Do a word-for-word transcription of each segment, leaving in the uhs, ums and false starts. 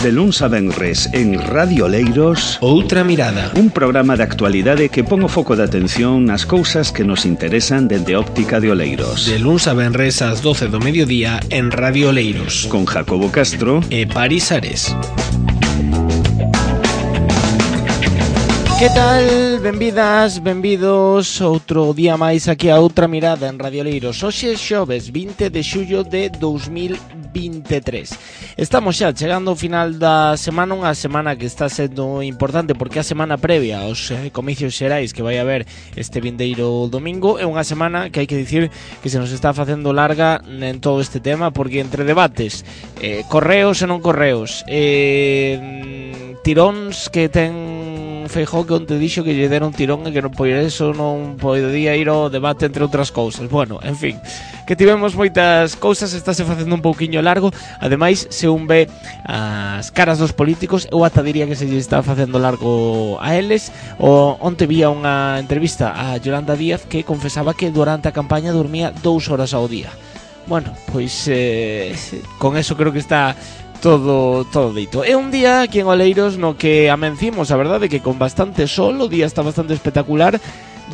De luns a venres en Radio Oleiros, Outra Mirada, un programa de actualidade que pon o foco de atención nas cousas que nos interesan dende óptica de Oleiros. De luns a venres ás doce do mediodía en Radio Oleiros, con Jacobo Castro e Paris Ares. Que tal? Benvidas, benvidos outro día máis aquí a Outra Mirada en Radio Oleiros. Hoxe é xoves vinte de xullo de dous mil vinte e tres. Estamos xa chegando ao final da semana, unha semana que está sendo importante porque é a semana previa aos eh, comicios xerais que vai haber este vindeiro domingo. É unha semana que hai que dicir que se nos está facendo larga en todo este tema porque entre debates, eh, correos e non correos, eh, tiróns que ten Feijóo que onte dixo que lle deron tirón e que non por eso non podía ir ao debate entre outras cousas. Bueno, en fin, que tivemos moitas cousas, estáse facendo un pouquiño largo. Ademais, se un ve as caras dos políticos, eu ata diría que se lle está facendo largo a eles. O onte vía unha entrevista a Yolanda Díaz que confesaba que durante a campaña dormía dous horas ao día. Bueno, pois eh, con eso creo que está Todo, todo dito. É un día aquí en Oleiros no que amencimos, a verdade, que con bastante sol, o día está bastante espectacular.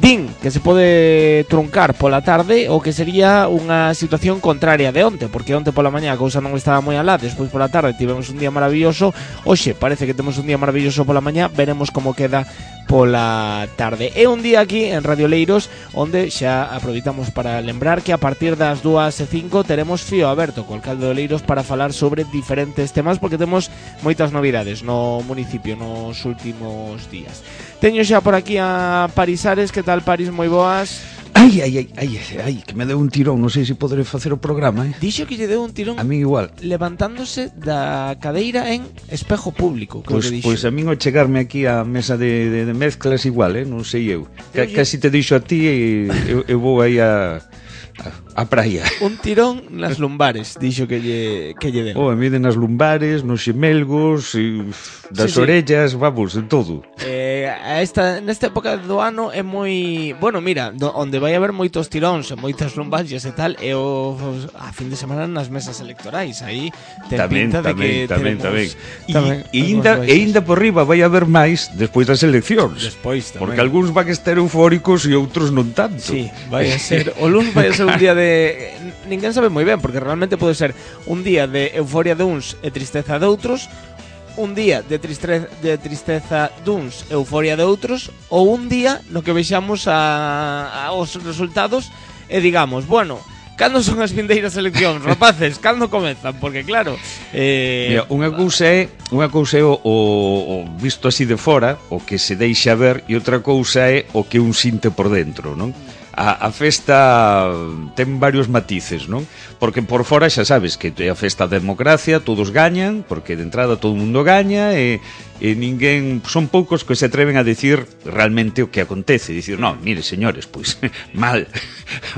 Din que se pode truncar pola tarde o que sería unha situación contraria de onte, porque onte pola mañá a cousa non estaba moi alá, despois pola tarde tivemos un día maravilloso. Hoxe parece que temos un día maravilloso pola mañá, veremos como queda pola tarde. É un día aquí en Radio Oleiros onde xa aproveitamos para lembrar que a partir das dúas e cinco teremos fío aberto co alcalde de Oleiros para falar sobre diferentes temas, porque temos moitas novidades no municipio nos últimos días. Teño xa por aquí a Paris Ares. Que tal, Paris? Moi boas. Ai, ai, ai, ai, ai, que me deu un tirón, non sei se poderé facer o programa, eh? Dixo que lle deu un tirón. A mí igual. Levantándose da cadeira en espejo público, creo pues, que dixo. Pois pues a min ao chegarme aquí á mesa de, de, de mezclas igual, eh? Non sei eu. C- casi te dixo a ti e eu, eu vou aí a... a praia. Un tirón nas lumbares, dixo que lle, que lle den. Oh, a mí de nas lumbares, nos xemelgos, e das sí, orellas, sí. Vamos, de todo. Eh, a esta, nesta época do ano é moi... Bueno, mira, do, onde vai haber moitos tiróns e moitas lumballas e tal, é o, a fin de semana nas mesas electorais. Aí ten tamén, pinta de tamén, que tamén, teremos... tamén. E ainda, e ainda por riba vai haber máis despois das eleccións. Despois tamén. Porque algúns van a estar eufóricos e outros non tanto. Sí, vai a ser... O luns vai a ser un día de... Ninguén sabe moi ben, porque realmente pode ser un día de euforia de uns e tristeza de outros, un día de, tristre... de tristeza duns e euforia de outros, ou un día no que vexamos a... a os resultados e digamos, bueno, cando son as vindeiras eleccións, rapaces, cando comezan? Porque claro, eh... Mira, unha cousa é unha cousa é o, o, o visto así de fora, o que se deixa ver, e outra cousa é o que un sinte por dentro, non? A, a festa ten varios matices, non? Porque por fora xa sabes que é a festa da democracia, todos gañan, porque de entrada todo o mundo gaña e, e ninguén, son poucos que se atreven a decir realmente o que acontece, dicir, non, mire señores, pois mal,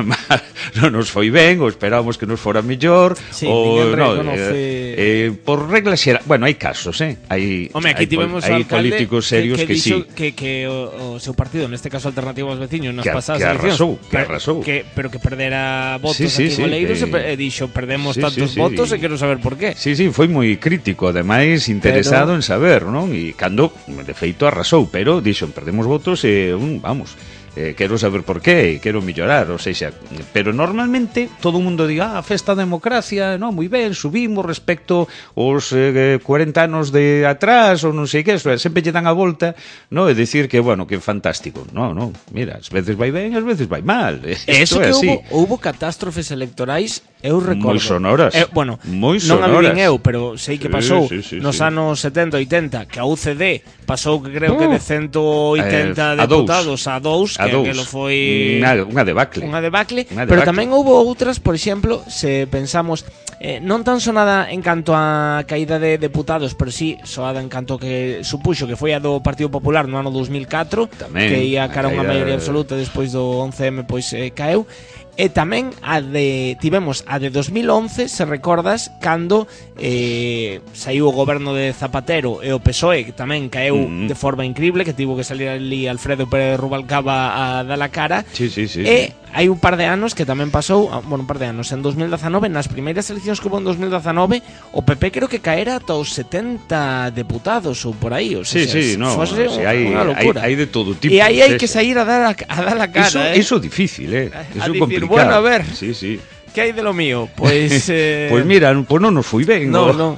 mal, non nos foi ben, ou esperábamos que nos fora mellor, sí, ou no, eh, eh, por regla xera, bueno, hai casos, eh? Hai, Home, aquí hai, tivemos hai políticos serios que, que, que, que sí. Que, que o, o seu partido, neste caso Alternativo aos Veciños, nas que, pasadas que eleccións, arrasou, que arrasou. Que, pero que perdera votos sí, sí, aquí en Oleiros sí, e dixo, perdemos sí, tantos sí, sí, votos sí. E quero saber por qué. Sí, sí, foi moi crítico, ademais interesado pero... en saber, non? E cando, de feito, arrasou, pero dixo, perdemos votos e, um, vamos, eh, quero saber por qué, quero mellorar, ou seja, pero normalmente todo o mundo diga, ah, a festa da democracia, non, moi ben, subimos respecto aos eh, cuarenta anos de atrás, ou non sei que, sempre lle dan a volta, non, e dicir que, bueno, que fantástico, non, non, mira, ás veces vai ben, ás veces vai mal, eso é que así. Houbo, houbo catástrofes electorais, eu recordo. Moi sonoras. Eh, bueno, moi non sonoras. a vivín eu, pero sei que pasou sí, sí, sí, nos sí. anos setenta, oitenta, que a U C D pasou que creo que de ciento oitenta eh, deputados a dous, que dous. aquilo foi unha, unha debacle. Unha debacle, Unha pero debacle. tamén houbo outras, por exemplo, se pensamos eh, non tan sonada en canto a caída de deputados, pero sí soada en canto que supuxo que foi a do Partido Popular no ano dos mil catro, tamén, que ia cara a unha caída... maioría absoluta despois do once eme, pois eh, caeu. E tamén a de tivemos a de dos mil once, se recordas, cando eh, saiu o goberno de Zapatero e o P S O E, que tamén caeu mm. de forma increíble, que tivo que salir ali Alfredo Pérez Rubalcaba a dar a cara. Sí, sí, sí, e sí. hai un par de anos que tamén pasou, bueno, un par de anos, en dos mil dezanove, nas primeiras eleccións que hubo en dos mil dezanove, o P P creo que caera ata os setenta deputados ou por aí, o sea, sí, sí, no, fose o sea, hai, unha locura. Hai, hai de todo tipo. E aí hai que sair a dar a, a dar a cara, eso, eh. Eso difícil, eh. Eso a complicado. Decir, bueno, a ver. Sí, sí. Que hai de lo mío? Pois eh... Pois mira, pois non nos fui ben. No, o, no.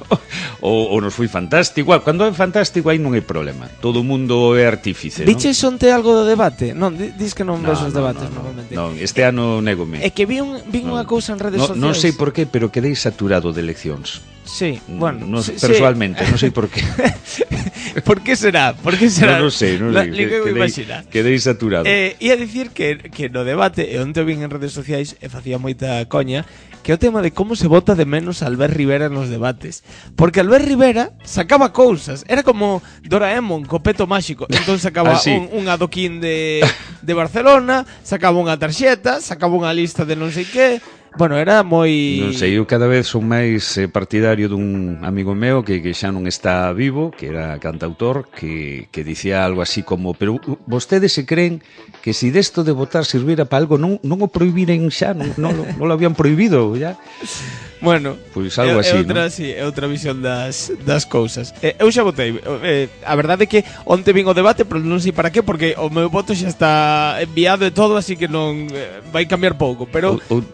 O, o nos fui fantástico. Igual, cando é fantástico aí non hai problema. Todo o mundo é artífice, non? Viches onte algo do debate? Non, dis que non no, ves os no, debates no, normalmente. Non, este ano négome. É que vi, un, vi no, unha cousa en redes no, sociais. Non sei por qué, pero quedei saturado de eleccións. Sí, bueno, no, sí, persoalmente, sí. non sei por qué. Por que será? Por que será? Non no sei, non sei. Que, quedei, quedei saturado. Eh, ia dicir que, que no debate, e onte o vin en redes sociais, e facía moita coña, que é o tema de como se vota de menos a Albert Rivera nos debates. Porque Albert Rivera sacaba cousas. Era como Doraemon, co peto máxico. Entón sacaba ah, sí. un, un adoquín de, de Barcelona, sacaba unha tarxeta, sacaba unha lista de non sei que. Bueno, era moi... Non sei, eu cada vez son máis eh, partidario dun amigo meu que, que xa non está vivo, que era cantautor, que, que dicía algo así como: pero vostedes se creen que si desto de votar servira para algo non, non o prohibiren xa, non, non, non lo habían prohibido ya. Bueno, pois algo é, así, é outra, ¿no? sí, é outra visión das, das cousas. eh, Eu xa votei, eh, a verdade é que onte vin o debate, pero non sei para qué, porque o meu voto xa está enviado e todo, así que non eh, vai cambiar pouco. Pero o, o,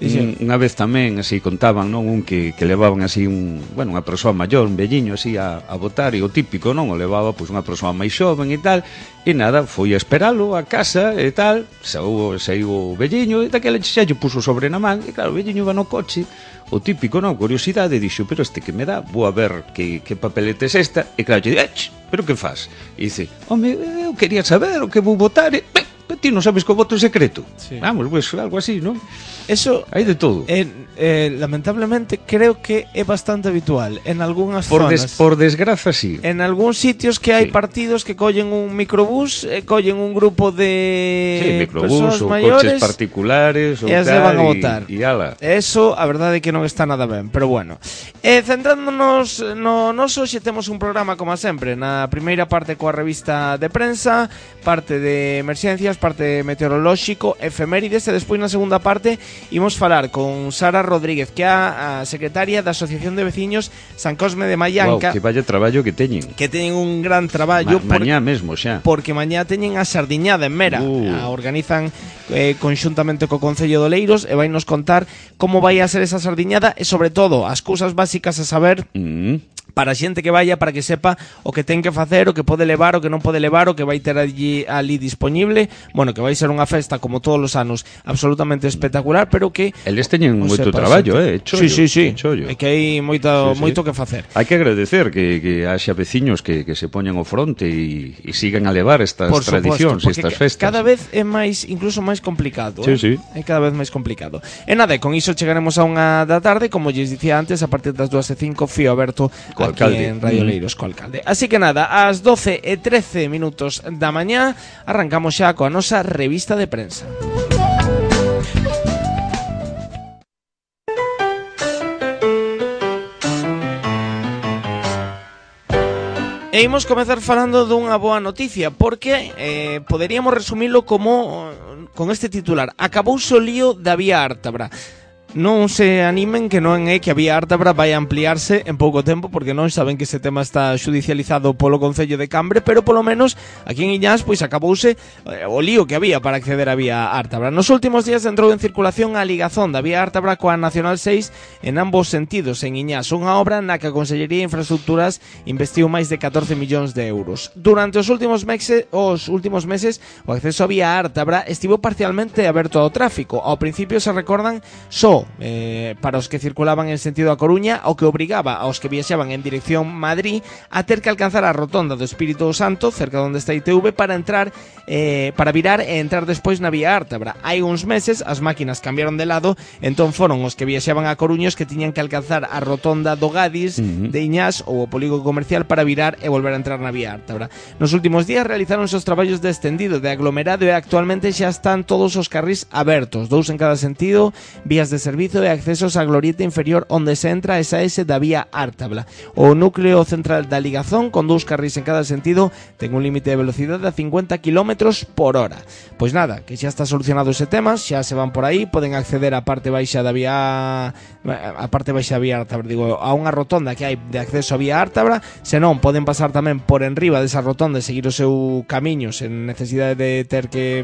unha vez tamén así contaban, non, un que, que levaban así un, bueno, unha persoa maior, un velliño así a, a votar, e o típico, non, o levaba pois unha persoa máis xoven e tal, e nada, foi a esperalo a casa e tal, saiu, saiu o velliño e daquela xa lle puso sobre na man, e claro, o velliño iba no coche, o típico, non, curiosidade, dixo: pero este que me dá, vou a ver que, que papelete é esta, e claro, lle dice: pero que faz? E dice: home, eu quería saber o que vou votar, e pero ti non sabes que o voto é secreto. Sí. Vamos, pues algo así, non? Eso hai de todo. eh, eh, lamentablemente creo que é bastante habitual en algunhas por zonas. Des, por desgraza, sí. En algúns sitios que hai sí. partidos que collen un microbús, eh, collen un grupo de sí, microbús ou maiores, coches particulares ou e se van a votar. E, e ala. Eso, a verdade é que non está nada ben, pero bueno. Eh, centrándonos no noso, xe temos un programa como sempre. Na primeira parte coa revista de prensa, parte de emerxencias, parte meteorolóxico, efemérides, e despois na segunda parte imos falar con Sara Rodríguez, que é a secretaria da Asociación de Veciños San Cosme de Mallanca. Wow, que vaya traballo que teñen. Que teñen un gran traballo. Ma, mañá por, mesmo xa. Porque mañá teñen a sardiñada en Mera. Uh. A organizan eh, conxuntamente co Concello de Oleiros e vai nos contar como vai a ser esa sardiñada e sobre todo as cousas básicas a saber. Mm. Para a xente que vaya, para que sepa o que ten que facer, o que pode levar, o que non pode levar, o que vai ter allí, ali disponible. Bueno, que vai ser unha festa como todos os anos absolutamente espectacular, pero que eles teñen moito traballo, eh, chollo, sí, sí, sí. chollo. É que hai moito, sí, sí. moito que facer. Hai que agradecer que, que haxa veciños que, que se poñan ao fronte e, e sigan a levar estas Por tradicións, suposto, estas festas. Cada vez é máis, incluso máis complicado, sí, eh? sí. É cada vez máis complicado. E nada, con iso chegaremos a unha da tarde, como lles dicía antes, a partir das dúas e cinco, Fío Aberto co aquí alcalde. en Radio Leiros co alcalde. Así que nada, ás doce e trece minutos da mañá arrancamos xa coa nosa revista de prensa. E imos comezar falando dunha boa noticia, porque eh, poderíamos resumilo como con este titular: acabouse o lío da vía Ártabra. Non se animen, que non é que a vía Ártabra vai ampliarse en pouco tempo, porque non saben que ese tema está xudicializado polo Concello de Cambre, pero polo menos aquí en Iñás pois acabouse eh, o lío que había para acceder á vía Ártabra. Nos últimos días entrou en circulación a ligazón da vía Ártabra coa Nacional seis en ambos sentidos en Iñás, unha obra na que a Consellería de Infraestructuras investiu máis de catorce millóns de euros. Durante os últimos meses, os últimos meses o acceso á vía Ártabra estivo parcialmente aberto ao tráfico. Ao principio, se recordan, só só eh, para os que circulaban en sentido a Coruña, o que obrigaba aos que viaxaban en dirección Madrid a ter que alcanzar a rotonda do Espírito Santo, cerca onde está I T V, para entrar eh, para virar e entrar despois na vía Ártabra. Hai uns meses as máquinas cambiaron de lado, entón foron os que viaxaban a Coruña os que tiñan que alcanzar a rotonda do Gadis, uh-huh. de Iñás ou o polígono comercial para virar e volver a entrar na vía Ártabra. Nos últimos días realizaronse os traballos de estendido de aglomerado e actualmente xa están todos os carrís abertos, dous en cada sentido, vías de servizo e accesos á glorieta inferior onde se entra e saese da vía Ártabla. O núcleo central da ligazón, con dous carrís en cada sentido, ten un límite de velocidade a cincuenta kilómetros por hora. Pois nada, que xa está solucionado ese tema, xa se van por aí, poden acceder á parte baixa da vía a parte baixa da vía Ártabra, digo, a unha rotonda que hai de acceso á vía Ártabra, senón poden pasar tamén por enriba desa rotonda e seguir o seu camiño sen necesidade de ter que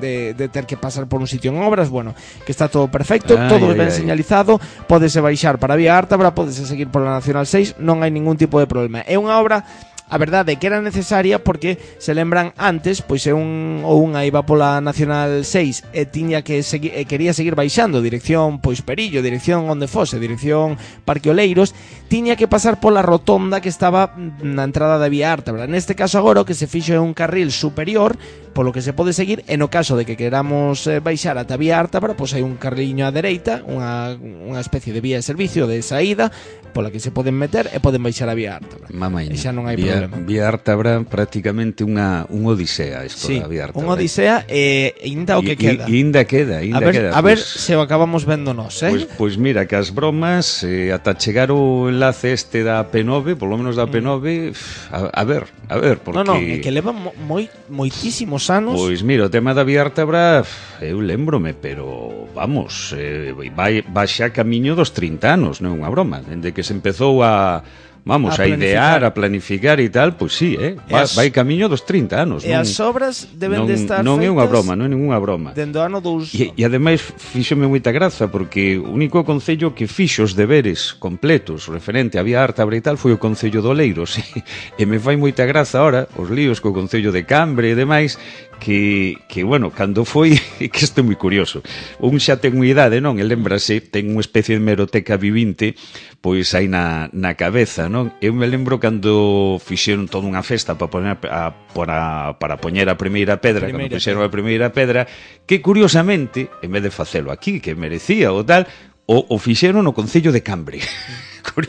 de, de ter que pasar por un sitio en obras. Bueno, que está todo perfecto, ay, todo ai, ben ai. señalizado, pódese baixar para a vía Ártabra, pódese seguir pola Nacional seis, non hai ningún tipo de problema. É unha obra, a verdade é que era necesaria porque, se lembran antes, pois é un ou unha iba pola Nacional seis e tiña que seguir, e quería seguir baixando dirección pois Perillo, dirección onde fose, dirección Parque Oleiros, tiña que pasar pola rotonda que estaba na entrada da vía Ártabra. Neste caso agora o que se fixo é un carril superior polo que se pode seguir, e no caso de que queramos eh, baixar ata a vía Ártabra, pois hai un carriño á dereita, unha, unha especie de vía de servicio de saída pola que se poden meter e poden baixar a vía Ártabra. Mamaña, e xa non hai vía, problema. Vía Ártabra prácticamente unha un odisea isto sí, da vía Ártabra. Unha odisea e eh, inda o que I, queda. I, inda queda, inda a ver, queda. A ver pues, se o acabamos vendo nós, eh? Pois pues, pues mira, que as bromas eh, ata chegar o enlace este da P nove, polo menos da P nove, mm. a, a ver, a ver, porque... Non, non, é que leva moi, moitísimos anos. Pois mira, o tema da vía Ártabra eu lembrome, pero vamos, eh, vai, vai xa camiño dos trinta anos, non é unha broma, dende que se empezou a... Vamos, a, a idear, a planificar e tal, pois sí, eh? vai, as, vai camiño dos trinta anos. E non, as obras deben non, de estar non feitas... Non é unha broma, non é ninguna broma. Dende o ano dous... E, e ademais fíxome moita graza, porque o único concello que fixo os deberes completos referente a vía Ártabra e tal foi o concello de Oleiros. E me fai moita graza ahora os líos co concello de Cambre e demais, que, que bueno, cando foi, que isto é moi curioso, un xa ten unha idade, non? E lembrase, ten unha especie de hemeroteca vivinte, pois aí na, na cabeza, non? Eu me lembro cando fixeron toda unha festa para poñer a, para, para poñer a primeira pedra, primeira cando fixeron a primeira pedra, que curiosamente, en vez de facelo aquí, que merecía o tal, o, o fixeron no concello de Cambre.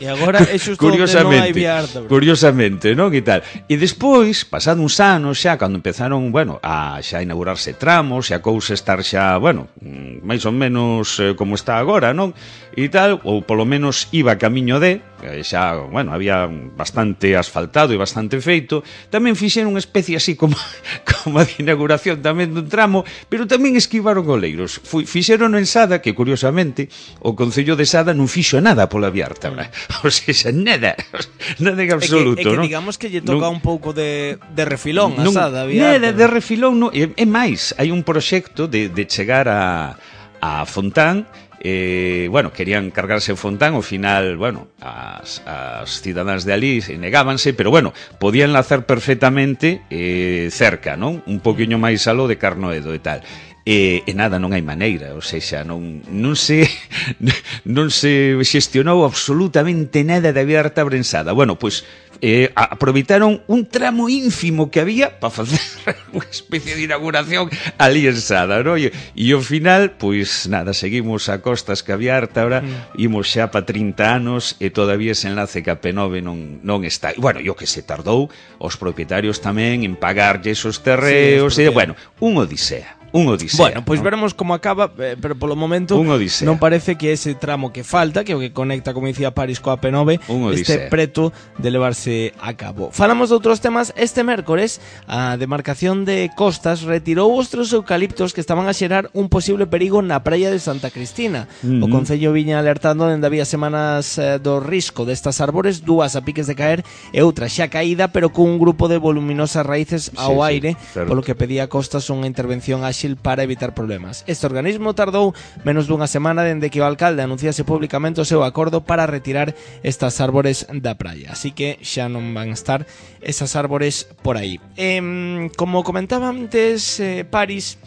E agora é xusto onde non hai vía Ártabra. Curiosamente, non? E tal. E despois, pasado uns anos xa, cando empezaron, bueno, a xa inaugurarse tramos, e a cousa estar xa, bueno, máis ou menos eh, como está agora, non? E tal, ou polo menos iba camiño de, xa, bueno, había bastante asfaltado e bastante feito, tamén fixeron unha especie así como, como a de inauguración tamén dun tramo, pero tamén esquivaron Oleiros. Fixeron en Sada, que curiosamente, o Concello de Sada non fixo nada pola vía Ártabra. O sea, nada, nada en absoluto, é que, é que ¿no? digamos que lle toca non, un pouco de, de refilón a non, Sada. Nada de refilón, no, é, é máis, hai un proxecto de, de chegar a, a Fontán, eh, bueno, querían cargarse o Fontán, ao final, bueno, as, as cidadáns de ali negábanse, pero bueno, podían enlazar perfectamente eh, cerca, non? Un poquinho máis aló de Carnoedo e tal. E, e nada, non hai maneira, ou seja, non, non se non se xestionou absolutamente nada da vía Ártabra en Sada. Bueno, pois eh, aproveitaron un tramo ínfimo que había para facer unha especie de inauguración ali en Sada, ¿no? E, e ao final, pois nada, seguimos a costas que a vía Ártabra, mm. imos xa para trinta anos e todavía ese enlace que a P nove non, non está. E, bueno, yo que se tardou os propietarios tamén en pagarlle esos terreos, sí, e, bueno, un odisea. Un odisea. Bueno, pois pues ¿no? veremos como acaba, eh, pero polo momento non parece que ese tramo que falta, que o que conecta, como dicía Paris, coa P nove, este preto de levarse a cabo. Falamos de outros temas. Este mércores, a demarcación de Costas retirou os tres eucaliptos que estaban a xerar un posible perigo na praia de Santa Cristina. Uh-huh. O Concello viña alertando dende había semanas eh, do risco destas árbores, dúas a piques de caer e outra xa caída, pero cun grupo de voluminosas raíces ao sí, aire, sí, polo que pedía a Costas unha intervención áxil para evitar problemas. Este organismo tardou menos dunha semana dende que o alcalde anunciase públicamente o seu acordo para retirar estas árbores da praia, así que xa non van a estar esas árbores por aí. Eh, como comentaba antes, eh, Paris,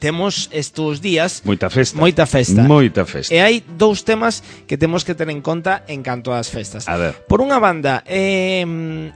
temos estes días moita festa. Moita festa. Moita festa. E hai dous temas que temos que ter en conta en canto ás festas. A ver. Por unha banda, eh,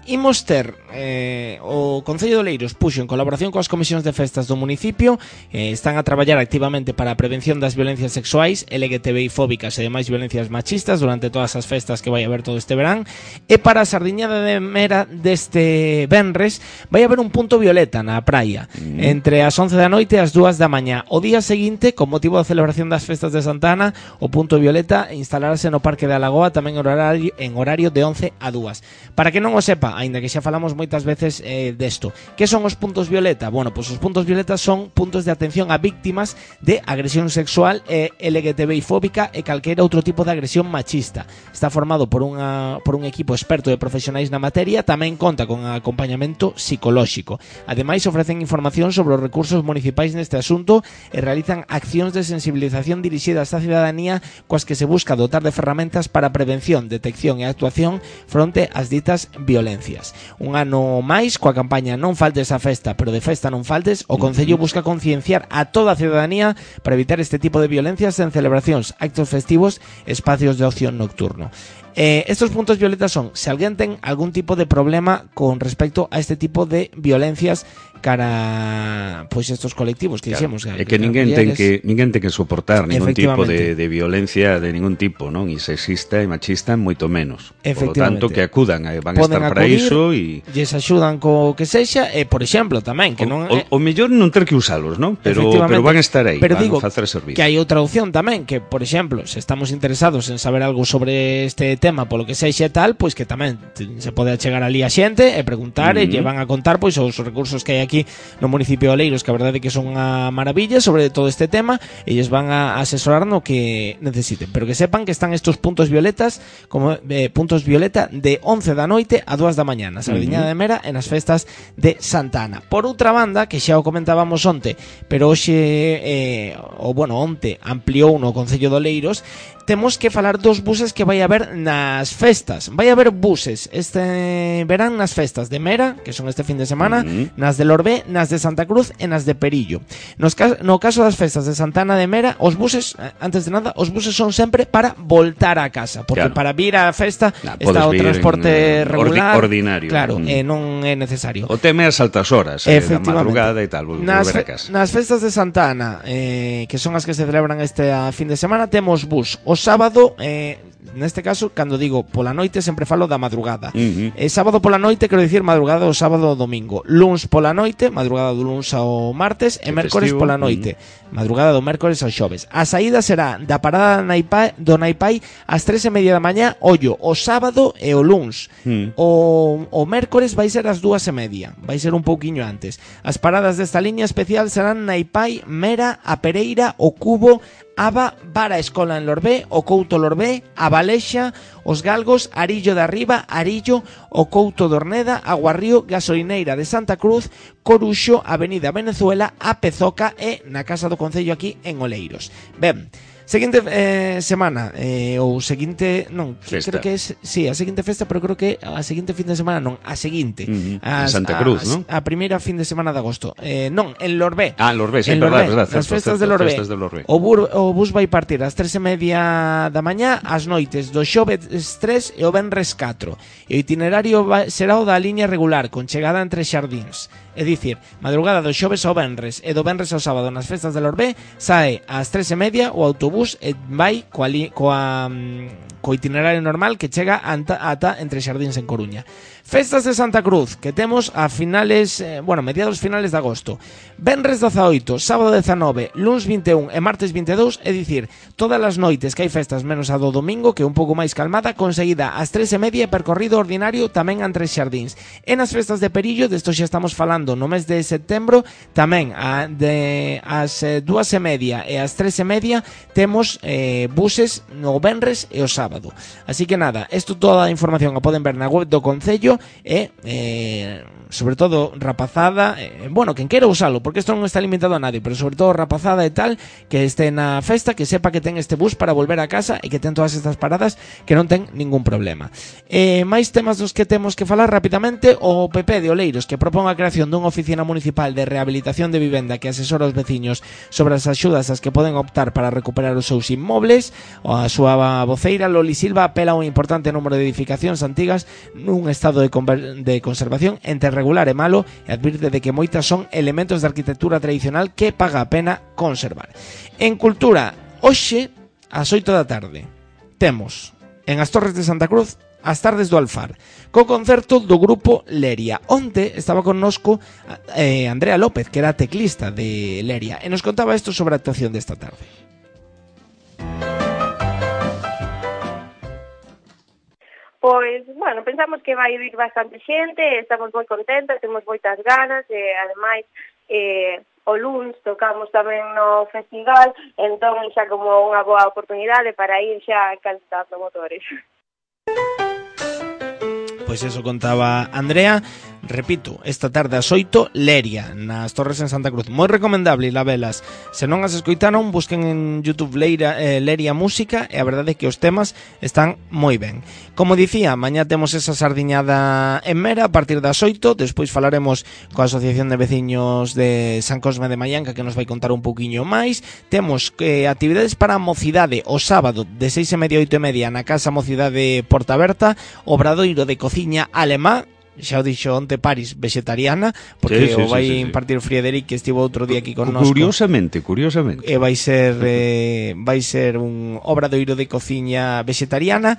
imos ter eh, o Concello de Oleiros puxo en colaboración coas comisións de festas do municipio, eh, están a traballar activamente para a prevención das violencias sexuais, L G T B I fóbicas e demais violencias machistas durante todas as festas que vai haber todo este verán. E para a sardiñada de Mera deste venres vai haber un punto violeta na praia, mm. entre as once da noite e as dúas da mañá. O día seguinte, con motivo da celebración das festas de Santa Ana, o punto violeta instalarase no Parque da Lagoa tamén en horario, en horario de once a dúas. Para que non o sepa, aínda que xa falamos moitas veces eh, desto, que son os puntos violeta? Bueno, pois os puntos violeta son puntos de atención a víctimas de agresión sexual e L G T B I fóbica e calquera outro tipo de agresión machista. Está formado por, unha, por un equipo experto de profesionais na materia, tamén conta con acompañamento psicolóxico. Ademais, ofrecen información sobre os recursos municipais neste asunto e realizan accións de sensibilización dirixidas á cidadanía coas que se busca dotar de ferramentas para a prevención, detección e actuación fronte ás ditas violencias. Un ano máis, coa campaña Non faltes á festa, pero de festa non faltes, o Concello busca concienciar a toda a cidadanía para evitar este tipo de violencias en celebracións, actos festivos e espacios de ocio nocturno. Eh, estos puntos violetas son se alguén ten algún tipo de problema con respecto a este tipo de violencias cara pois estos colectivos que claro, dixemos é que, que ninguén ten que ninguén ten que soportar ningún tipo de, de violencia de ningún tipo, non? E sexista e machista moito menos. Por lo tanto que acudan, van a estar para iso e lles axudan co que sexa e por exemplo tamén que o, non o, o mellor non ter que usalos, non? Pero pero van a estar aí, pero van digo a facer servicio. Que hai outra opción tamén, que por exemplo, se estamos interesados en saber algo sobre este tema polo que sexa e tal, pois que tamén se pode achegar ali a xente e preguntar uh -huh. e lle van a contar pois os recursos que hai aquí no municipio de Oleiros, que a verdade é que son unha maravilla sobre todo este tema e lles van a asesorar no que necesiten, pero que sepan que están estos puntos violetas como eh, puntos violeta de once da noite a dúas da mañá na Sardiñada uh -huh. de Mera e nas festas de Santa Ana. Por outra banda, que xa o comentábamos onte, pero hoxe eh, o bueno, onte ampliou no Concello de Oleiros, temos que falar dos buses que vai haber nas festas. Vai haber buses este verán nas festas de Mera, que son este fin de semana, uh -huh. nas de Lorbé, nas de Santa Cruz e nas de Perillo. Nos ca no caso das festas de Santa Ana de Mera, os buses, antes de nada, os buses son sempre para voltar a casa, porque claro. para vir á festa nah, está o transporte en, regular, ordi ordinario. Claro, mm. e non é necesario. O tema é as altas horas, eh, da madrugada e tal, nas, volver a casa. Nas festas de Santa Ana, eh, que son as que se celebran este a fin de semana, temos bus o sábado, eh, neste caso, cando digo pola noite sempre falo da madrugada. Uh -huh. eh, sábado pola noite, quero dicir madrugada o sábado ao domingo. Luns pola noite, madrugada do luns ao martes e mércores festivo. Pola noite, uh -huh. madrugada do mércores ao xoves. A saída será da parada Naipai, do Naipai ás tres e media da mañá, ollo, o sábado e o luns. Uh -huh. O, o mércores vai ser ás dúas e media, vai ser un pouquiño antes. As paradas desta liña especial serán Naipai, Mera, A Pereira, O Cubo, Aba, Vara Escola en Lorbé, O Couto Lorbé, A Balexa, Os Galgos, Arillo de Arriba, Arillo, O Couto de Orneda, Aguarrío, Gasolineira de Santa Cruz, Coruxo, Avenida Venezuela, A Pezoca e na Casa do Concello aquí en Oleiros. Ben, seguinte eh, semana eh, ou seguinte, non, festa. creo que é sí, a seguinte festa, pero creo que a seguinte fin de semana non, a seguinte, uh -huh. as, Santa Cruz, a, non? A primeira fin de semana de agosto. Eh, non, en Lorbé. Ah, en Lorbé, sí, en verdad, Lorbé, verdad, as festas certo, de Lorbé. Festas de Lorbé. O, bur, o bus vai partir ás tres e media da mañá, ás noites do xoves tres e o venres catro. E o itinerario va, será o da liña regular, con chegada entre xardíns. É dicir, madrugada do xoves ao venres e do venres ao sábado nas festas de Lorbé sae ás tres e media o autobús e vai coa, li, coa, co itinerario normal que chega ata, ata entre Xardíns en Coruña. Festas de Santa Cruz, que temos a finales, eh, bueno, mediados finales de agosto. Venres dezaoito, sábado dezanove, luns vinte e un e martes vinte e dous, é dicir, todas as noites que hai festas menos a do domingo, que é un pouco máis calmada, conseguida ás tres e media, percorrido ordinario tamén entre Xardíns. E nas festas de Perillo, desto xa estamos falando no mes de setembro, tamén a, de, as eh, dúas e media e as tres e media temos eh, buses no venres e o sábado. Así que nada, isto toda a información a poden ver na web do Concello e eh, sobre todo rapazada, eh, bueno, quen quera usalo, porque isto non está limitado a nadie, pero sobre todo rapazada e tal, que este na festa, que sepa que ten este bus para volver a casa e que ten todas estas paradas, que non ten ningún problema. Eh, máis temas dos que temos que falar rapidamente. O P P de Oleiros, que propón a creación dunha oficina municipal de rehabilitación de vivenda que asesora os veciños sobre as axudas as que poden optar para recuperar os seus inmobles. A súa voceira Loli Silva apela a un importante número de edificacións antigas nun estado de, de conservación entre regular e malo e advirte de que moitas son elementos de arquitectura tradicional que paga a pena conservar. En cultura, hoxe ás oito da tarde temos en as Torres de Santa Cruz as tardes do Alfar, co concerto do grupo Leria. Onte estaba connosco eh, Andrea López, que era teclista de Leria, e nos contaba isto sobre a actuación desta tarde. Pois, bueno, pensamos que vai vir bastante xente, estamos moi contentas, temos moitas ganas, e ademais, eh, o luns tocamos tamén no festival, entón xa como unha boa oportunidade para ir xa calentando motores. Pois eso contaba Andrea. Repito, esta tarde ás oito, Leria, nas Torres en Santa Cruz. Moi recomendable ir a velas. Se non as escoitaron, busquen en YouTube Leira, eh, Leria Música, e a verdade é que os temas están moi ben. Como dicía, mañá temos esa sardiñada en Mera a partir das oito, despois falaremos coa Asociación de Veciños de San Cosme de Mallanca, que nos vai contar un pouquiño máis. Temos eh, actividades para a mocidade o sábado de seis e media a oito e media na Casa Mocidade Porta Aberta, obradoiro de cociña alemá. Xa o dixo onte Paris, vegetariana, porque sí, sí, o vai sí, sí, impartir Friederic, que estivo outro día aquí con nós. Curiosamente, curiosamente. E vai ser eh, vai ser un obradoiro de cociña vegetariana.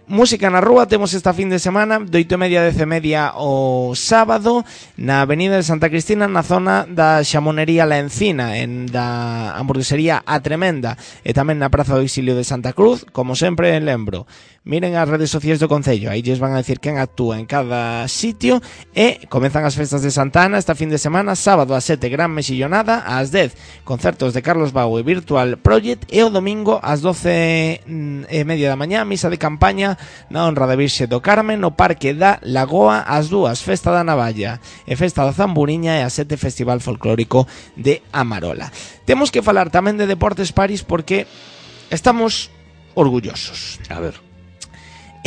Música na rúa temos esta fin de semana de oito e media a dez e media o sábado na Avenida de Santa Cristina, na zona da Xamonería La Encina, en da hamburguesería A Tremenda, e tamén na Praza do Exilio de Santa Cruz. Como sempre lembro, miren as redes sociais do Concello, aí lles van a decir quen actúa en cada sitio. E comezan as festas de Santa Ana esta fin de semana, sábado ás sete gran mexillonada, ás dez concertos de Carlos Bau e Virtual Project, e o domingo ás doce e media da mañá misa de campaña na honra da Virxe do Carmen no Parque da Lagoa, ás dúas Festa da Navalla e Festa da Zamburiña, e ás sete Festival Folclórico de Amarola. Temos que falar tamén de Deportes París porque estamos orgullosos. A ver,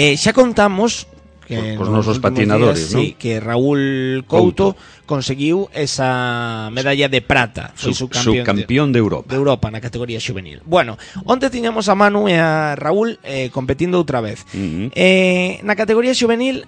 eh, xa contamos que os nosos patinadores, días, ¿no? Sí, que Raúl Couto, Couto conseguiu esa medalla de prata, foi su, subcampeón, subcampeón de, de Europa. De Europa na categoría xuvenil. Bueno, onte tiñamos a Manu e a Raúl eh, competindo outra vez. Uh -huh. eh, na categoría xuvenil,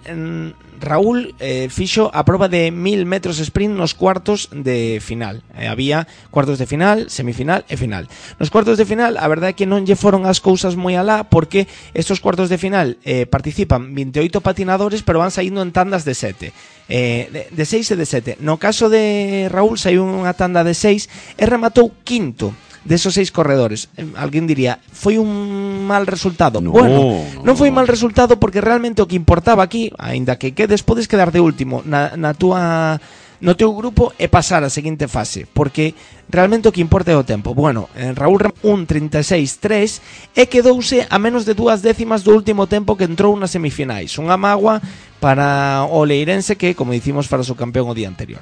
Raúl eh, fixo a proba de mil metros sprint nos cuartos de final. Eh, había cuartos de final, semifinal e final. Nos cuartos de final, a verdade é que non lle foron as cousas moi alá, porque estos cuartos de final eh, participan vinte e oito patinadores, pero van saindo en tandas de sete. Eh, de, de seis e de sete. No caso de Raúl saiu unha tanda de seis e rematou quinto desos seis corredores. Eh, alguén diría, foi un mal resultado. No, bueno, no, non foi mal resultado porque realmente o que importaba aquí, aínda que quedes, podes quedar de último na, na túa no teu grupo e pasar a seguinte fase, porque realmente o que importa é o tempo. Bueno, Raúl un trinta e seis tres e quedouse a menos de dúas décimas do último tempo que entrou nas semifinais. Unha mágoa para o leirense que, como dicimos, para o seu campeón o día anterior.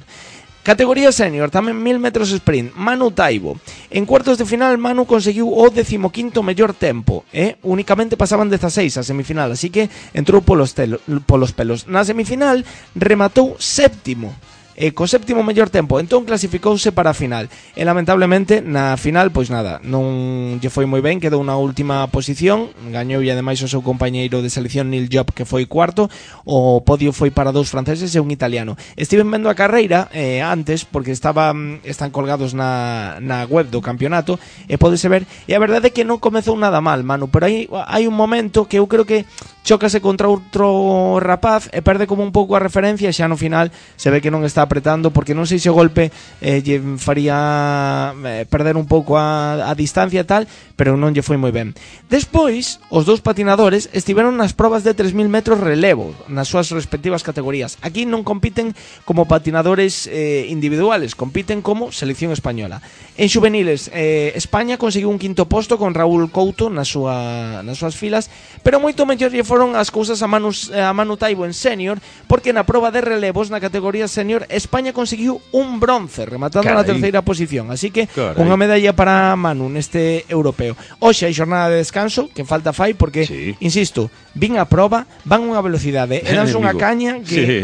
Categoría senior, tamén mil metros sprint, Manu Taibo. En cuartos de final, Manu conseguiu o decimoquinto mellor tempo, eh? Únicamente pasaban dezaseis a semifinal, así que entrou polos, telo, polos pelos. Na semifinal rematou séptimo, e co séptimo mellor tempo, entón clasificouse para a final. E lamentablemente na final, pois nada, non lle foi moi ben, quedou na última posición, gañou e ademais o seu compañeiro de selección Neil Job, que foi cuarto. O podio foi para dous franceses e un italiano. Estiven vendo a carreira eh, antes, porque estaba, están colgados na, na web do campeonato, e podese ver, e a verdade é que non comezou nada mal, Manu, pero hai, hai un momento que eu creo que chócase contra outro rapaz e perde como un pouco a referencia, e xa no final se ve que non está apretando, porque non sei se o golpe eh, lle faría eh, perder un pouco a, a distancia e tal, pero non lle foi moi ben. Despois, os dous patinadores estiveron nas probas de tres mil metros relevo, nas súas respectivas categorías. Aquí non compiten como patinadores eh, individuales, compiten como selección española. En xuveniles, eh, España conseguiu un quinto posto con Raúl Couto nas, súa, nas súas filas, pero moito mellor lle foron as cousas a Manu, a Manu Taibo en senior, porque na proba de relevos na categoría senior España conseguiu un bronce, rematando Carai. na terceira posición, así que Carai. unha medalla para Manu neste europeo. Hoxe hai jornada de descanso, que falta fai, porque, sí. insisto, vin a proba, van unha velocidade, e danse unha caña que... Sí,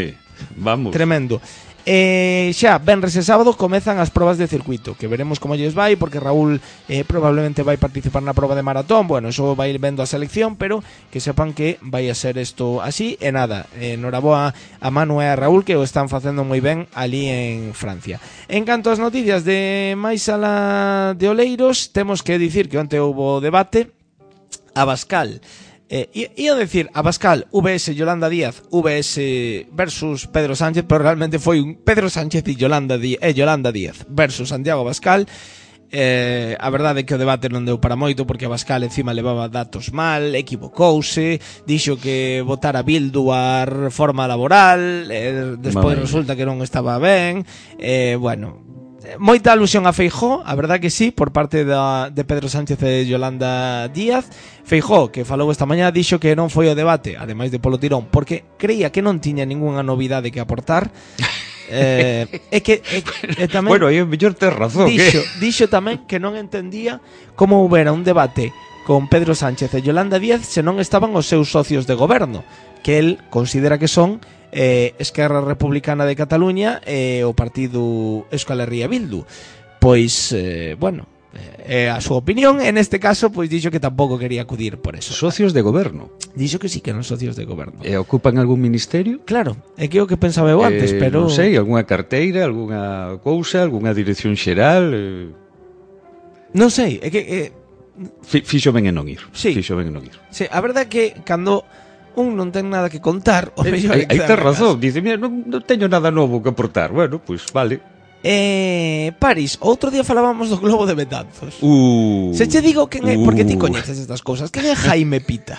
vamos. Tremendo. Eh, xa, venres e sábado comezan as probas de circuito, que veremos como lles vai, porque Raúl eh, probablemente vai participar na proba de maratón. Bueno, eso vai ir vendo a selección, pero que sepan que vai a ser isto así. E nada, eh, noraboa a Manu e a Raúl, que o están facendo moi ben ali en Francia. En canto ás noticias de máis sala de Oleiros, temos que dicir que onte houbo debate. Abascal Eh, ia decir, Abascal, V S Yolanda Díaz, V S versus Pedro Sánchez, pero realmente foi un Pedro Sánchez e Yolanda Díaz, eh, Yolanda Díaz versus Santiago Abascal. Eh, a verdade é que o debate non deu para moito, porque Abascal encima levaba datos mal, equivocouse, dixo que votara Bildu a reforma laboral, eh, despois Mamãe. resulta que non estaba ben. Eh, bueno, moita alusión a Feijóo, a verdade que sí, por parte da, de Pedro Sánchez e Yolanda Díaz. Feijóo, que falou esta mañá, dixo que non foi o debate, ademais de polo tirón, porque creía que non tiña ningunha novidade que aportar. eh, é que é, é tamén, bueno, aí o mellor tes razón, dixo, que? dixo tamén que non entendía como houbera un debate con Pedro Sánchez e Yolanda Díaz se non estaban os seus socios de goberno, que el considera que son Eh, Esquerra Republicana de Cataluña e eh, o partido Euskal Herria Bildu. Pois, eh, bueno, eh, a súa opinión, en este caso, pois dixo que tampouco quería acudir por eso. Socios de goberno? Dixo que sí, que non socios de goberno. E ocupan algún ministerio? Claro, é que o que pensaba eu antes, eh, pero... Non sei, algunha carteira, algunha cousa, algunha dirección xeral... Eh... Non sei, é que... Eh... Fixo ben en non ir. Sí. Fixo ben en non ir. Sí, a verdade é que cando... un non ten nada que contar, o mellor Aí tes razón, dice, mira, non, non teño nada novo que aportar. Bueno, pois pues, vale. Eh, Paris, outro día falábamos do globo de Betanzos. Uh, Se che digo quen é, uh. porque ti coñeces estas cousas, quen é Jaime Pita?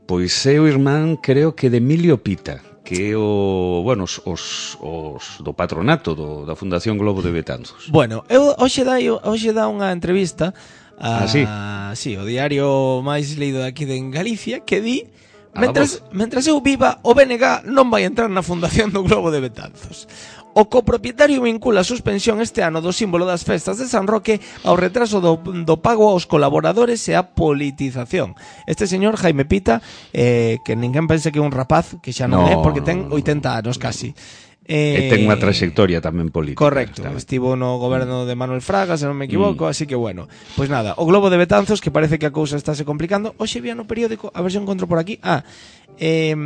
Pois é o irmán, creo que de Emilio Pita, que é o, bueno, os, os, os do patronato do, da Fundación Globo de Betanzos. Bueno, eu hoxe dai, hoxe dá unha entrevista a, ah, sí? sí, o diario máis lido aquí de Galicia, que di Mentras, mentras eu viva, o B N G non vai entrar na fundación do Globo de Betanzos. O copropietario vincula a suspensión este ano do símbolo das festas de San Roque ao retraso do, do pago aos colaboradores e a politización. Este señor Jaime Pita, eh, que ninguén pense que é un rapaz, que xa non no, é, porque ten oitenta anos casi. Eh, e ten unha trayectoria tamén política. Correcto, tamén. Estivo no goberno de Manuel Fraga, se non me equivoco, mm. así que bueno. Pois pues nada, o Globo de Betanzos, que parece que a cousa estáse complicando. Hoxe vía no periódico, a ver se encontro por aquí. Ah, eh,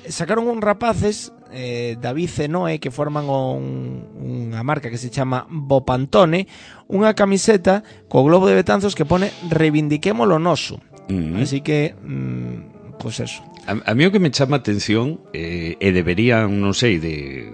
sacaron un rapaces, eh, David e Noé, que forman un, unha marca que se chama Bopantone, unha camiseta co Globo de Betanzos que pone reivindiquemos lo noso. Mm. Así que, mm, pois pues eso. A, a mí o que me chama a atención eh, e deberían, non sei, de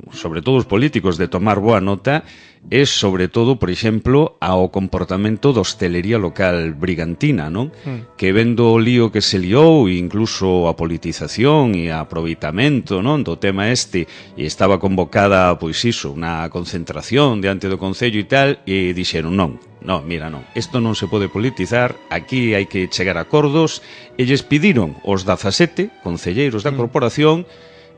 sobre todo os políticos de tomar boa nota é sobre todo, por exemplo, ao comportamento da hostelería local brigantina, non? Mm. Que vendo o lío que se liou, incluso a politización e a aproveitamento, non, do tema este, e estaba convocada, pois iso, unha concentración diante do Concello e tal, e dixeron non. No, mira, non, isto non se pode politizar, aquí hai que chegar a acordos, e lles pediron os dezasete concelleiros da corporación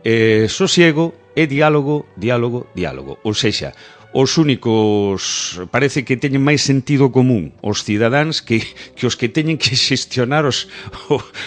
eh, sosiego e diálogo, diálogo, diálogo. Ou sexa, os únicos, parece que teñen máis sentido común os cidadáns que, que os que teñen que xestionar os,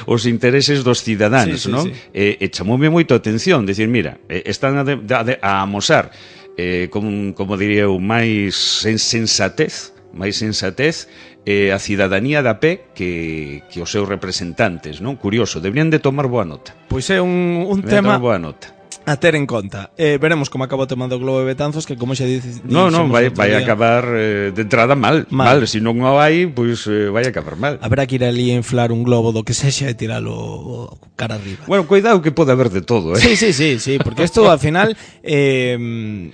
os intereses dos cidadáns, sí, sí, non? Sí. E, e chamoume moito a atención, decir, mira, están a, de, a, a amosar, eh, como, como diría eu, máis sensatez, máis sensatez eh, a cidadanía da pé que, que os seus representantes, non? Curioso, deberían de tomar boa nota. Pois é un, un tema boa nota a ter en conta. Eh, veremos como acaba o tema do Globo de Betanzos, que como xa dices... No, no, vai, vai acabar eh, de entrada mal, mal. mal. Se non o hai, pois eh, vai acabar mal. Haberá que ir ali a inflar un globo do que sexa e tiralo cara arriba. Bueno, cuidado que pode haber de todo, eh? Sí, sí, sí, sí, porque isto al final eh,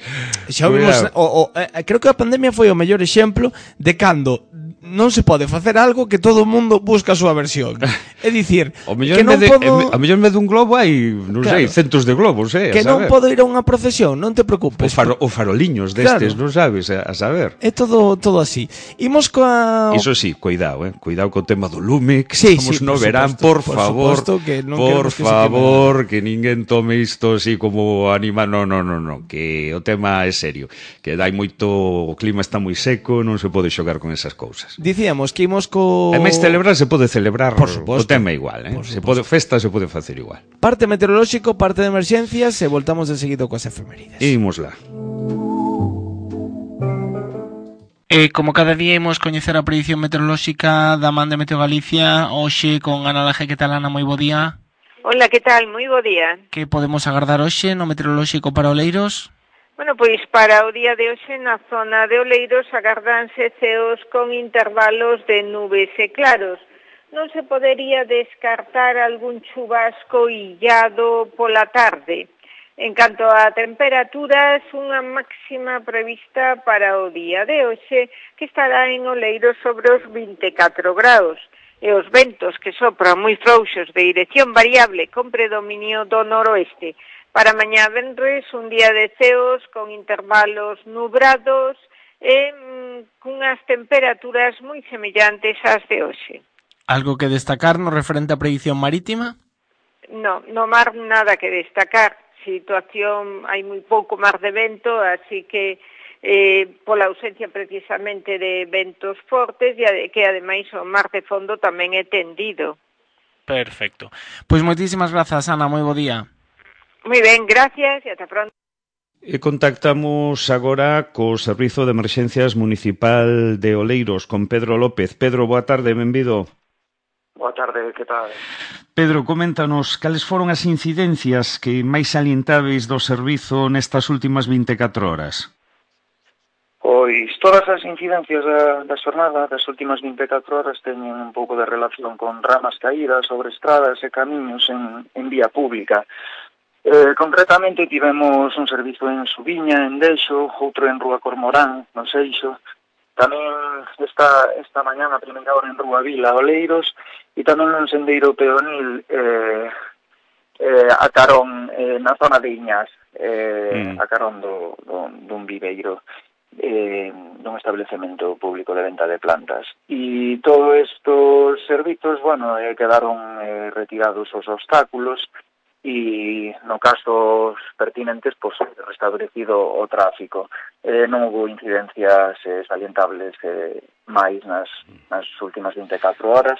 xa vimos... O, o, eh, creo que a pandemia foi o mellor exemplo de cando non se pode facer algo que todo o mundo busca a súa versión. É dicir, o mellor que non de, podo... A mellor en vez dun globo hai, non claro, sei, centos de globos, eh, que non podo ir a unha procesión, non te preocupes. O, faro, o faroliños destes, claro, non sabes, a, a saber. É todo todo así. Imos coa... Iso sí, cuidado, eh, cuidado co tema do lume, que sí, estamos sí, no por verán, supuesto, por, por favor, que non por que favor, que ninguén tome isto así como anima, no, no, no, no, que o tema é serio, que dai moito, o clima está moi seco, non se pode xogar con esas cousas. Dicíamos que imos co... E máis celebrar se pode celebrar, por suposto, o tema igual, eh? Se pode, festa se pode facer igual. Parte meteorolóxico, parte de emerxencias, noticias e voltamos de seguido coas efemérides. Imos lá. E como cada día imos coñecer a predición meteorolóxica da man de Meteo Galicia, hoxe con Ana Laje. Que tal, Ana? Moi bo día. Hola, que tal? Moi bo día. Que podemos agardar hoxe no meteorolóxico para Oleiros? Bueno, pois para o día de hoxe na zona de Oleiros agardanse ceos con intervalos de nubes e claros. Non se podería descartar algún chubasco illado pola tarde. En canto a temperaturas, unha máxima prevista para o día de hoxe que estará en Oleiros sobre os vinte e catro graus. E os ventos que sopran moi frouxos de dirección variable con predominio do noroeste. Para mañá venres, un día de ceos con intervalos nubrados e mm, cunhas temperaturas moi semellantes ás de hoxe. Algo que destacar no referente á predición marítima? No, no mar nada que destacar. Situación, hai moi pouco mar de vento, así que eh, pola ausencia precisamente de ventos fortes e que ademais o mar de fondo tamén é tendido. Perfecto. Pois moitísimas grazas, Ana, moi bo día. Moi ben, gracias e ata pronto. E contactamos agora co Servizo de Emerxencias Municipal de Oleiros con Pedro López. Pedro, boa tarde, benvido. Boa tarde, que tal? Pedro, coméntanos cales foron as incidencias que máis salientáveis do servizo nestas últimas vinte e catro horas? Pois todas as incidencias da, da xornada das últimas vinte e catro horas teñen un pouco de relación con ramas caídas sobre estradas e camiños en, en vía pública. Eh, concretamente tivemos un servizo en Subiña, en Deixo, outro en Rúa Cormorán, no Seixo, tamén esta, esta mañá a primeira hora en Rúa Vila, Oleiros, e tamén un sendeiro peonil eh, eh, a carón eh, na zona de Iñás, eh, mm. a carón do, do, dun viveiro, eh, dun establecemento público de venta de plantas. E todos estos servizos, bueno, eh, quedaron eh, retirados os obstáculos, e no caso pertinentes, pois, restablecido o tráfico. Eh, non houve incidencias eh, salientables eh, máis nas, nas últimas vinte e catro horas,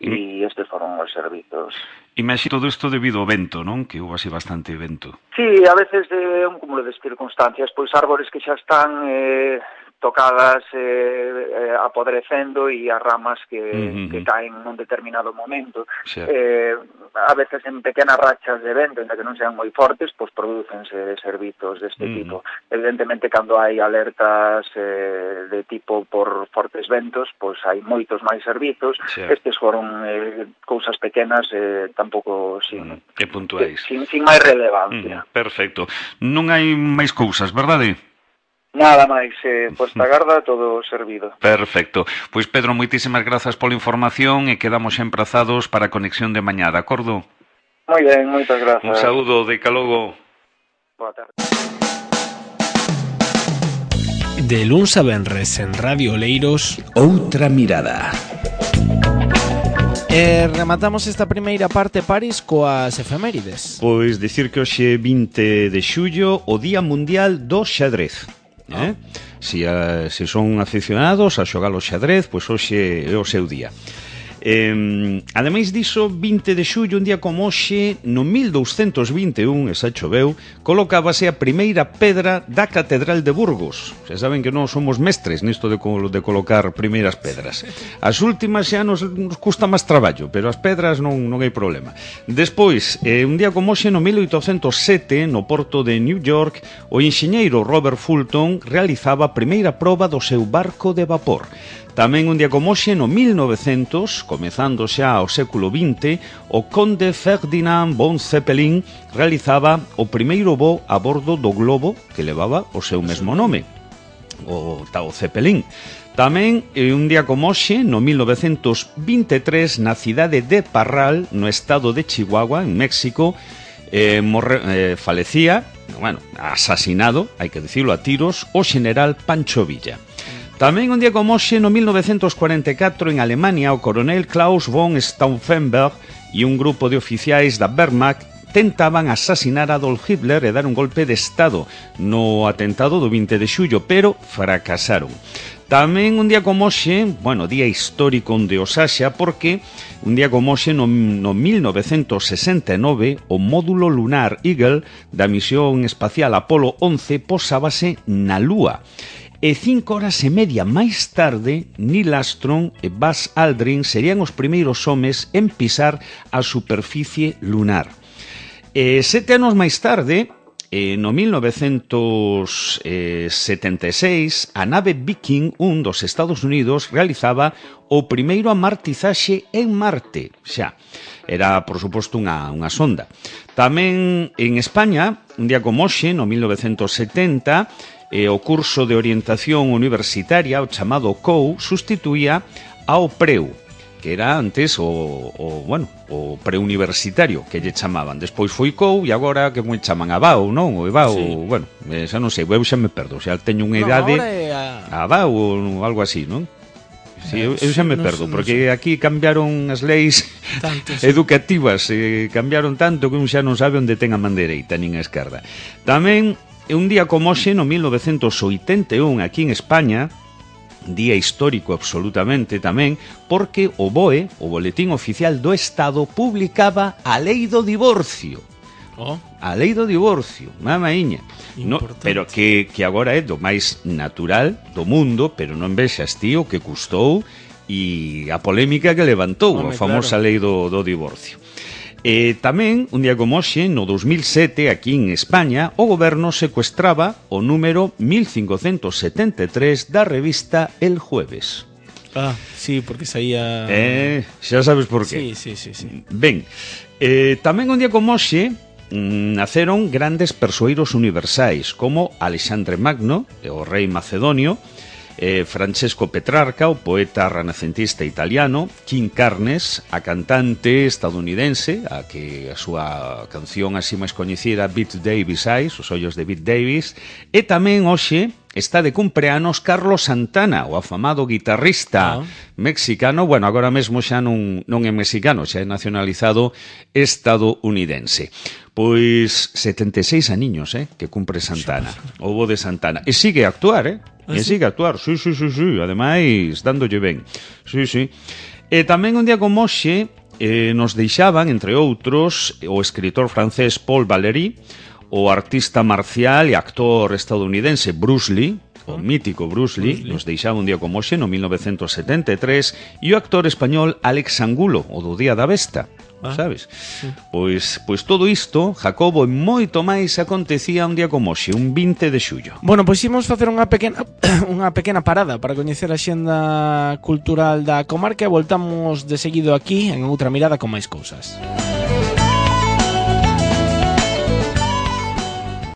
e estes foron os servizos. Imaxino todo isto debido ao vento, non? Que houve así bastante vento. Sí, a veces é eh, un cúmulo de circunstancias, pois árbores que xa están eh, tocadas eh, eh, apodrecendo e as ramas que, uh-huh. que caen nun determinado momento. Sí. Eh, a veces en pequenas rachas de vento, en que non sean moi fortes, pois prodúcense servizos deste uh-huh. tipo. Evidentemente, cando hai alertas eh, de tipo por fortes ventos, pois hai moitos máis servizos. Sí. Estes foron eh, cousas pequenas, eh, tampouco sin, uh-huh. e puntuais. Sin, sin máis relevancia. Uh-huh. Perfecto. Non hai máis cousas, verdade? Nada máis, eh, posta garda, todo servido. Perfecto. Pois Pedro, moitísimas grazas pola información e quedamos emprazados para a conexión de mañá, de acordo? Moi ben, moitas grazas. Un saúdo, de calogo. Boa tarde. De luns a venres en Radio Oleiros, Outra Mirada. E rematamos esta primeira parte, Paris, coas efemérides. Pois dicir que hoxe vinte de xullo, o Día Mundial do Xadrez. Eh? Si, a, se son aficionados a xogar o xadrez, pois hoxe é o seu día. Eh, ademais diso, vinte de xullo, un día como hoxe, no mil douscentos vinte e un, esa choveu, colocábase a primeira pedra da Catedral de Burgos. Xa saben que non somos mestres nisto de, de colocar primeiras pedras. As últimas xa nos, nos custa máis traballo, pero as pedras non, non hai problema. Despois, eh, un día como hoxe, no mil oitocentos sete, no porto de New York, o enxeñeiro Robert Fulton realizaba a primeira proba do seu barco de vapor. Tamén un día como hoxe, no mil novecentos, comezando xa ao século vinte, o conde Ferdinand von Zeppelin realizaba o primeiro voo a bordo do globo que levaba o seu mesmo nome, o Tao Zeppelin. Tamén, un día como hoxe, no mil novecentos vinte e tres, na cidade de Parral, no estado de Chihuahua, en México, eh, morre, eh, falecía, bueno, asasinado, hai que dicirlo a tiros, o xeneral Pancho Villa. Tamén un día como hoxe, no mil novecentos cuarenta e catro, en Alemania, o coronel Klaus von Stauffenberg e un grupo de oficiais da Wehrmacht tentaban asasinar a Adolf Hitler e dar un golpe de estado no atentado do vinte de xullo, pero fracasaron. Tamén un día como hoxe, bueno, día histórico onde o Saxa, porque un día como hoxe no, no mil novecentos sesenta e nove o módulo lunar Eagle da misión espacial Apolo once posábase na Lúa. E cinco horas e media máis tarde, Neil Armstrong e Buzz Aldrin serían os primeiros homes en pisar a superficie lunar. E sete anos máis tarde, Eh, no mil novecentos setenta e seis, a nave Viking un dos Estados Unidos realizaba o primeiro amartizaxe en Marte. Xa, era, por suposto, unha, unha sonda. Tamén en España, un día como hoxe, no mil novecentos setenta, eh, o curso de orientación universitaria, o chamado C O U, sustituía ao PREU, que era antes o, o bueno, o preuniversitario, que lle chamaban. Despois foi C O U e agora que moi chaman a B A U, non? O E B A U, sí. Bueno, eh, xa non sei, eu xa me perdo, xa teño unha idade. No, é a... a B A U ou algo así, non? Sí, eu, eu xa me perdo, no, porque no sé. Aquí cambiaron as leis tanto, sí. educativas, eh, cambiaron tanto que un xa non sabe onde ten a man dereita nin a esquerda. Tamén, un día como hoxe, no mil novecentos oitenta e un, aquí en España, día histórico absolutamente tamén, porque o B O E, o Boletín Oficial do Estado, publicaba a lei do divorcio. Oh. A lei do divorcio, mamaíña. No, pero que, que agora é do máis natural do mundo, pero non vexas, tío, que custou e a polémica que levantou, Home, a famosa claro. lei do, do divorcio. E tamén, un día como hoxe, no dos mil sete, aquí en España, o goberno secuestraba o número mil cincocentos setenta e tres da revista El Jueves. Ah, sí, porque saía... Eh, xa sabes por qué. Sí, sí, sí, sí. Ben, eh, tamén un día como hoxe, naceron grandes persoeiros universais, como Alexandre Magno, o rei macedonio, Eh, Francesco Petrarca, o poeta renacentista italiano, Kim Carnes, a cantante estadounidense, a que a súa canción así máis coñecida, Beat Davis Eyes, os ollos de Beat Davis, e tamén hoxe está de cumpleanos Carlos Santana, o afamado guitarrista ah. mexicano, bueno, agora mesmo xa non, non é mexicano, xa é nacionalizado estadounidense. Pois setenta e seis aniños, eh, que cumpre Santana, o bo de Santana, e sigue a actuar, eh? E sigue a actuar, sí, sí, sí, sí, ademais, dándolle ben. Sí, sí. E tamén un día como hoxe eh, nos deixaban, entre outros, o escritor francés Paul Valéry, o artista marcial e actor estadounidense Bruce Lee, o mítico Bruce Lee, Bruce Lee, nos deixaba un día como hoxe, no mil novecentos setenta e tres, e o actor español Alex Angulo, o do Día da Besta. Ah, sabes? Sí. Pois, pois todo isto, Jacobo, e moito máis acontecía un día como hoxe, un vinte de xullo. Bueno, pois imos facer unha pequena unha pequena parada para coñecer a xenda cultural da comarca e voltamos de seguido aquí en outra mirada con máis cousas.